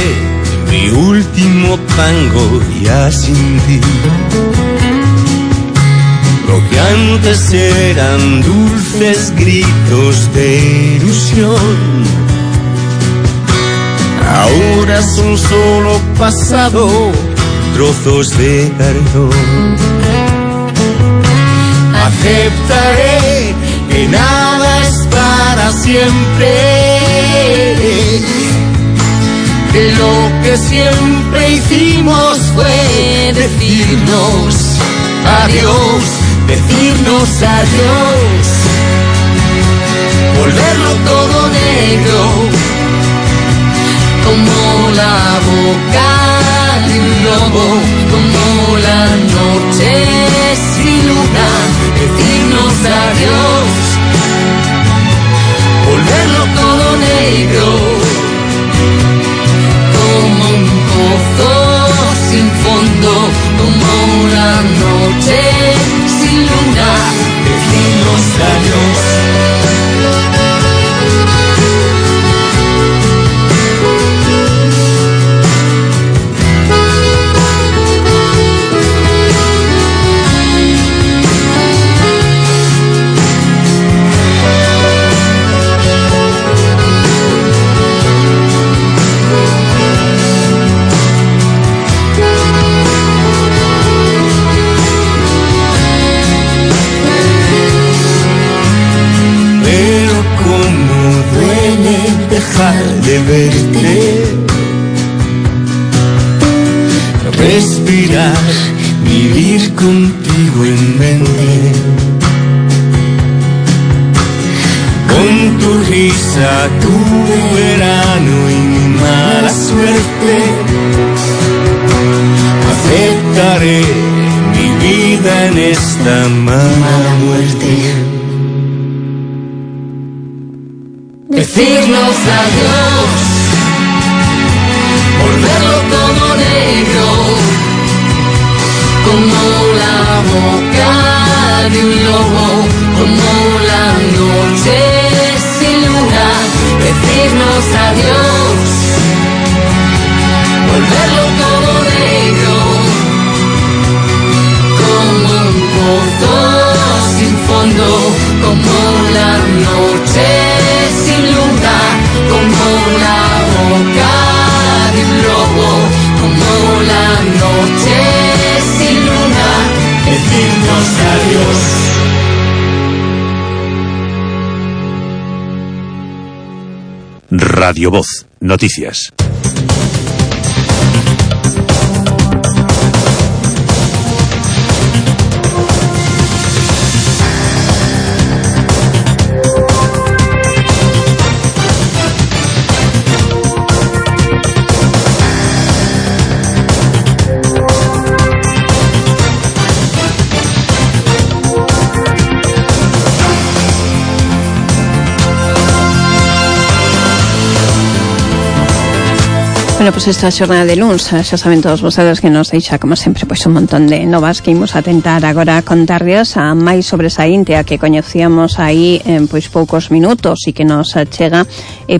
mi último tango ya sin ti. Lo que antes eran dulces gritos de ilusión, ahora son solo pasado, trozos de cartón. Aceptaré que nada es para siempre, que lo que siempre hicimos fue decirnos adiós, decirnos adiós, volverlo todo negro, como la boca de un lobo, como la noche sin luna, decirnos adiós, volverlo todo negro, como un pozo sin fondo, como la noche sin luna, decirnos adiós. Dejar de verte, respirar, vivir contigo en mente, con tu risa, tu verano y mi mala suerte. Aceptaré mi vida en esta mala muerte. Decirnos adiós, volverlo todo negro, como la boca de un lobo, como la noche sin luna, decirnos adiós, volverlo todo negro, como un pozo sin fondo, como la noche sin luna, como la boca de un lobo, como la noche sin luna, decirnos adiós. Radio Voz, noticias. Bueno, pues esta xornada de luns, xa saben todos vostedes que nos deixa, como sempre, pois un montón de novas que imos a tentar agora contarles a máis sobresaínte a que coñecíamos aí en pois poucos minutos e que nos chega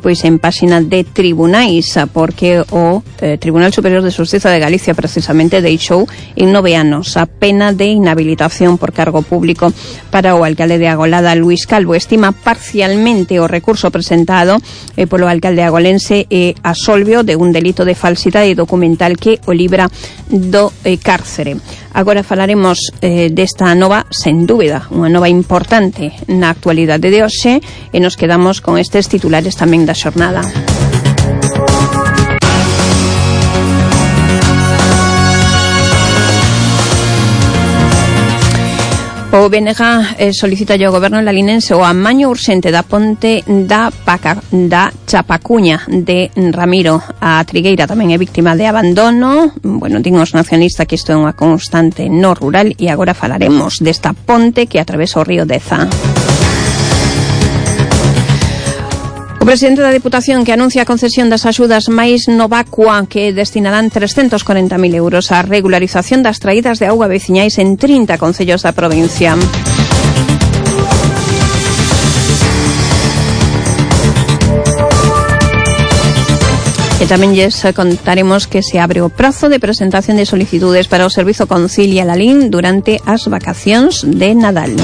pois en páxina de tribunais, porque o Tribunal Superior de Xustiza de Galicia precisamente deixou en 9 anos a pena de inhabilitación por cargo público para o alcalde de Agolada, Luís Calvo. Estima parcialmente o recurso presentado polo alcalde agolense e absolvio de un delito delito de falsidade documental que o libra do cárcere. Agora falaremos desta nova, sen dúbida, unha nova importante na actualidade de hoxe, e nos quedamos con estes titulares tamén da xornada. O BNG solicita ao goberno lalinense o amaño urxente da ponte da Chapacuña de Ramiro. A trigueira tamén é víctima de abandono. Bueno, din os nacionalistas que isto é unha constante no rural, e agora falaremos desta ponte que atravesa o río Deza. O presidente da Deputación que anuncia a concesión das axudas máis Novacua, que destinarán 340.000 euros á regularización das traídas de auga veciñais en 30 concellos da provincia. E tamén lles contaremos que se abre o prazo de presentación de solicitudes para o Servizo Concilia Lalín durante as vacacións de Nadal.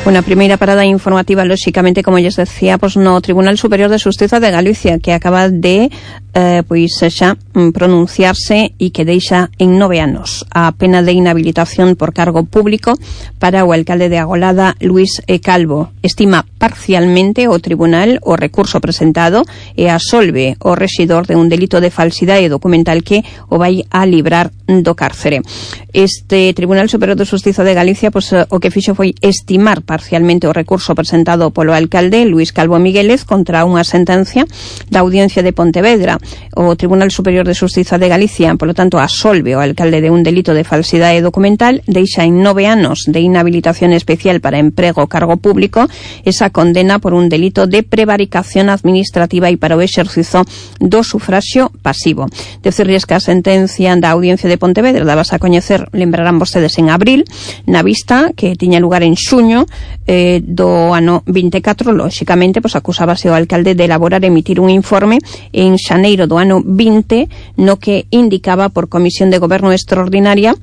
Unha primeira parada informativa, lóxicamente, como lles decía, no Tribunal Superior de Xustiza de Galicia, que acaba de xa pronunciarse e que deixa en 9 anos a pena de inhabilitación por cargo público para o alcalde de Agolada, Luís Calvo. Estima parcialmente o tribunal o recurso presentado e absolve o rexidor de un delito de falsidade documental que o vai a librar do cárcere. Este Tribunal Superior de Xustiza de Galicia o que fixo foi estimar parcialmente o recurso presentado polo alcalde Luís Calvo Miguélez contra unha sentencia da Audiencia de Pontevedra. O Tribunal Superior de Xustiza de Galicia, polo tanto, absolve o alcalde de un delito de falsidade documental, deixa en 9 anos de inhabilitación especial para emprego cargo público esa condena por un delito de prevaricación administrativa e para o exercizo do sufraxio pasivo. Decirles que a sentencia da Audiencia de Pontevedra dabas a coñecer, lembrarán vostedes, en abril, na vista que tiña lugar en xuño do ano 24, lóxicamente, acusábase o alcalde de elaborar e emitir un informe en xaneiro do ano 20 no que indicaba por comisión de goberno extraordinaria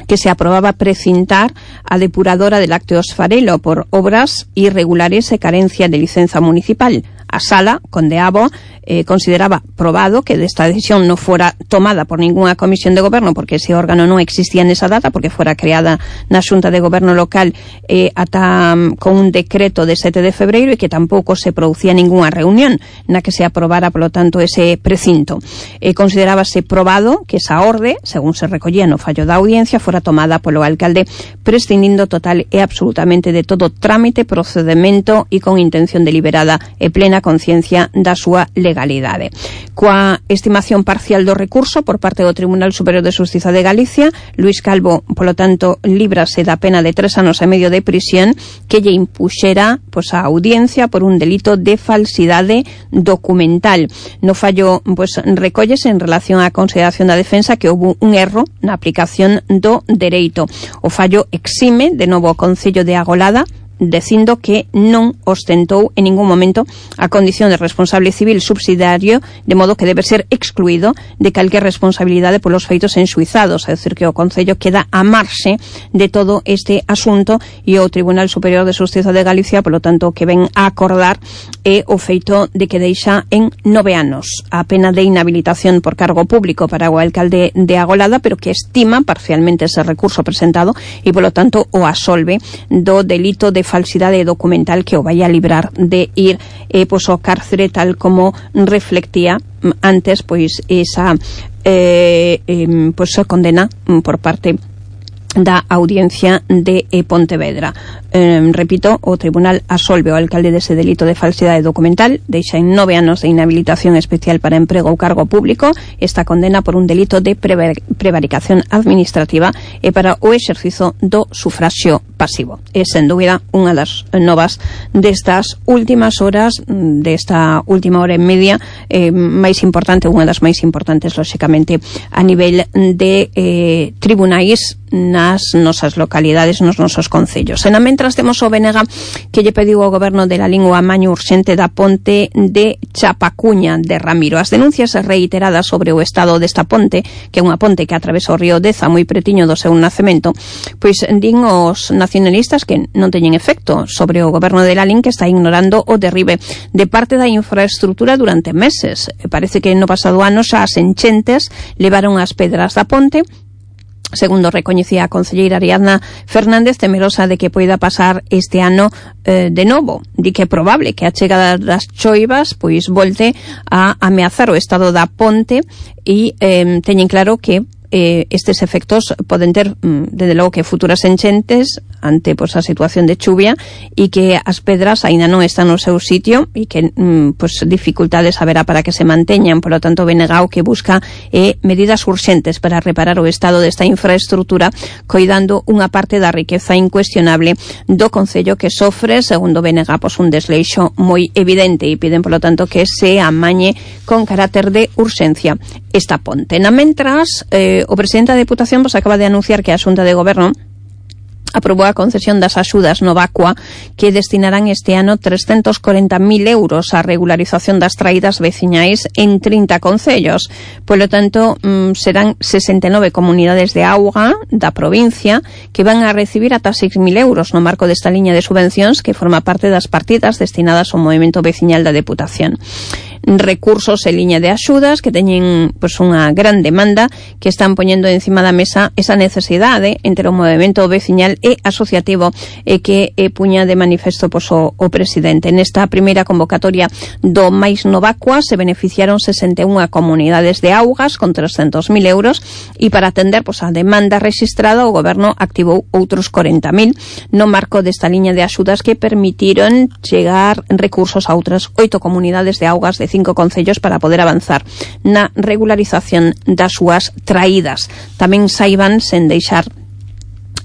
que se aprobaba precintar a depuradora de lácteos Farelo por obras irregulares e carencia de licenza municipal. A sala condeaba, consideraba probado que desta decisión non fora tomada por ninguna comisión de goberno, porque ese órgano non existía nesa data, porque fora creada na Xunta de Goberno local con un decreto de 7 de febreiro, e que tampouco se producía ninguna reunión na que se aprobara, polo tanto, ese precinto. Considerábase probado que esa orde, según se recollía no fallo da audiencia, fora tomada polo alcalde prescindindo total e absolutamente de todo trámite, procedemento e con intención deliberada e plena conciencia da súa legalidade. Coa estimación parcial do recurso por parte do Tribunal Superior de Xustiza de Galicia, Luís Calvo, polo tanto, líbrase da pena de 3 anos e medio de prisión que lle impuxera a audiencia por un delito de falsidade documental. No fallo recollese en relación á consideración da defensa que houve un erro na aplicación do dereito. O fallo exime de novo o Concello de Agolada, dicindo que non ostentou en ningún momento a condición de responsable civil subsidiario, de modo que debe ser excluído de calquer responsabilidade polos feitos enxuizados, é dicir, que o Concello queda a marxe de todo este asunto, e o Tribunal Superior de Xustiza de Galicia, polo tanto, que ven a acordar é o feito de que deixa en 9 anos a pena de inhabilitación por cargo público para o alcalde de Agolada, pero que estima parcialmente ese recurso presentado e, polo tanto, o absolve do delito de falsidade documental que o vai a librar de ir ao cárcere, tal como reflectía antes esa condena por parte da Audiencia de Pontevedra. Repito, o tribunal absolve o alcalde dese delito de falsidade documental, deixa en 9 anos de inhabilitación especial para emprego ou cargo público esta condena por un delito de prevaricación administrativa e para o exercizo do sufraxio pasivo. É, sen dúbida, unha das novas destas últimas horas, desta última hora e media, máis importante, unha das máis importantes, lóxicamente, a nivel de tribunais nas nosas localidades, nos nosos concellos. E na mentras temos o BNG que lle pediu ao goberno de la lingua amaño urxente da ponte de Chapacuña de Ramiro. As denuncias reiteradas sobre o estado desta ponte, que é unha ponte que atravesa o río Deza moi pretiño do seu nacemento, pois din os nacionalistas que non teñen efecto sobre o goberno de Lalín, que está ignorando o derribe de parte da infraestructura durante meses. Parece que no pasado ano xa as enchentes levaron as pedras da ponte. Segundo recoñecía a concelleira Ariadna Fernández, temerosa de que poida pasar este ano de novo. Di que é probable que a chegada das choivas pois volte a ameazar o estado da ponte e teñen claro que estes efectos poden ter desde logo que futuras enchentes ante pois a situación de chuvia e que as pedras aínda non están no seu sitio e que pois dificultades haberá para que se manteñan. Por lo tanto, Benegao que busca medidas urxentes para reparar o estado desta infraestructura, coidando unha parte da riqueza incuestionable do concello que sofre, segundo Benega, pois un desleixo moi evidente, e piden, por lo tanto, que se amañe con carácter de urxencia esta ponte. Na mentras, o presidente da Deputación acaba de anunciar que a Xunta de Goberno aprobou a concesión das axudas Novacua que destinarán este ano 340.000 euros á regularización das traídas veciñais en 30 concellos. Polo tanto, serán 69 comunidades de auga da provincia que van a recibir ata 6.000 euros no marco desta liña de subvencións que forma parte das partidas destinadas ao movimento veciñal da Deputación. Recursos en liña de axudas que teñen pois unha gran demanda, que están poñendo encima da mesa esa necesidade entre o movimento veciñal e asociativo que puña de manifesto pois o presidente. Nesta primeira convocatoria do Mais Novacua se beneficiaron 61 comunidades de augas con 300.000 euros e para atender pois a demanda rexistrada o goberno activou outros 40.000 no marco desta liña de axudas que permitiron chegar recursos a outras 8 comunidades de augas de 5 concellos para poder avanzar na regularización das súas traídas. Tamén saiban sen deixar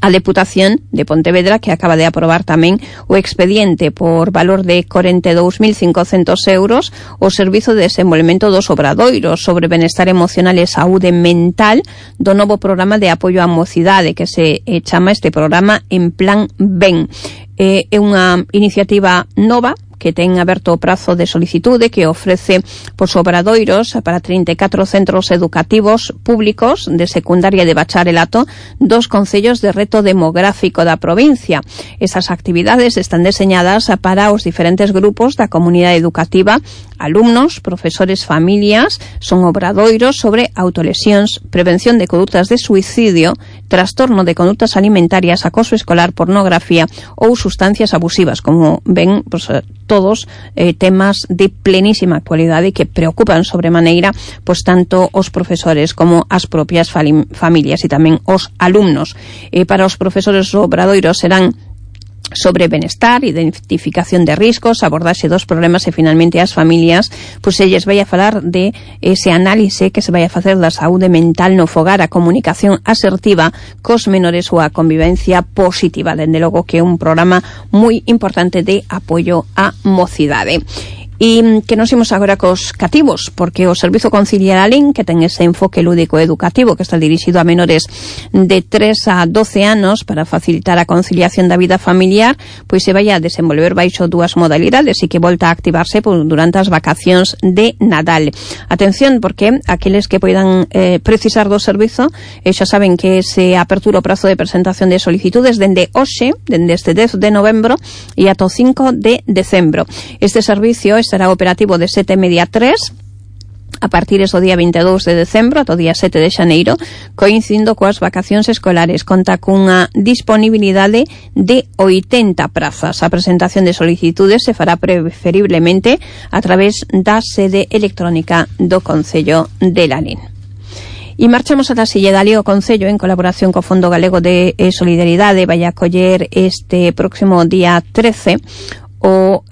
a Deputación de Pontevedra, que acaba de aprobar tamén o expediente por valor de 42.500 euros o Servizo de Desenvolvemento dos Obradoiros sobre Benestar Emocional e Saúde Mental do novo programa de apoio á mocidade que se chama este programa En Plan Ben. É unha iniciativa nova que ten aberto o prazo de solicitude que ofrece pois obradoiros para 34 centros educativos públicos de secundaria e de bacharelato dos concellos de reto demográfico da provincia. Esas actividades están deseñadas para os diferentes grupos da comunidade educativa, alumnos, profesores, familias, son obradoiros sobre autolesións, prevención de condutas de suicidio, trastorno de condutas alimentarias, acoso escolar, pornografía ou sustancias abusivas. Como ven, pois, todos temas de plenísima actualidade que preocupan sobremaneira pois tanto os profesores como as propias familias e tamén os alumnos. Para os profesores obradoiros serán sobre benestar, identificación de riscos, abordaxe dos problemas e finalmente as familias, pois elles vai a falar de ese análise que se vai a facer da saúde mental no fogar, a comunicación asertiva cos menores ou a convivencia positiva. Dende logo que é un programa moi importante de apoio á mocidade. E que nos imos agora cos cativos, porque o Servizo Conciliar Alén, que ten ese enfoque lúdico educativo que está dirixido a menores de 3 a 12 anos para facilitar a conciliación da vida familiar, pois se vai a desenvolver baixo dúas modalidades e que volta a activarse durante as vacacións de Nadal. Atención, porque aqueles que poidan precisar do servizo, xa saben que se apertura o prazo de presentación de solicitudes dende hoxe, dende este 10 de novembro e ata o 5 de decembro. Este servicio estará operativo de 7:30 a 3 a partir do día 22 de decembro ata o día 7 de xaneiro, coincidindo coas vacacións escolares. Conta cunha disponibilidade de 80 prazas. A presentación de solicitudes se fará preferiblemente a través da sede electrónica do Concello de Lalín. E marchamos a Sille de Alí. O Concello, en colaboración co Fondo Galego de Solidaridade, vai acoller este próximo día 13 o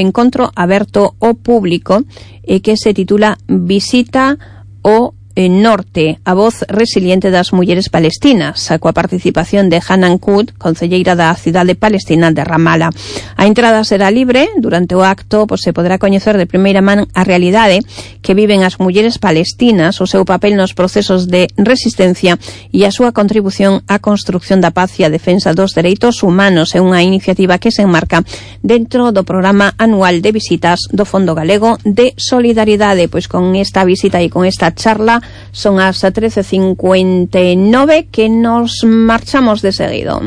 encontro aberto ao público que se titula Visita o Norte, a voz resiliente das mulleres palestinas, coa participación de Hanan Kut, concelleira da cidade palestina de Ramala. A entrada será libre. Durante o acto se poderá coñecer de primeira man a realidade que viven as mulleres palestinas, o seu papel nos procesos de resistencia e a súa contribución á construcción da paz e a defensa dos dereitos humanos. É unha iniciativa que se enmarca dentro do programa anual de visitas do Fondo Galego de Solidaridade. Pois con esta visita e con esta charla son as 13:59 que nos marchamos de seguido.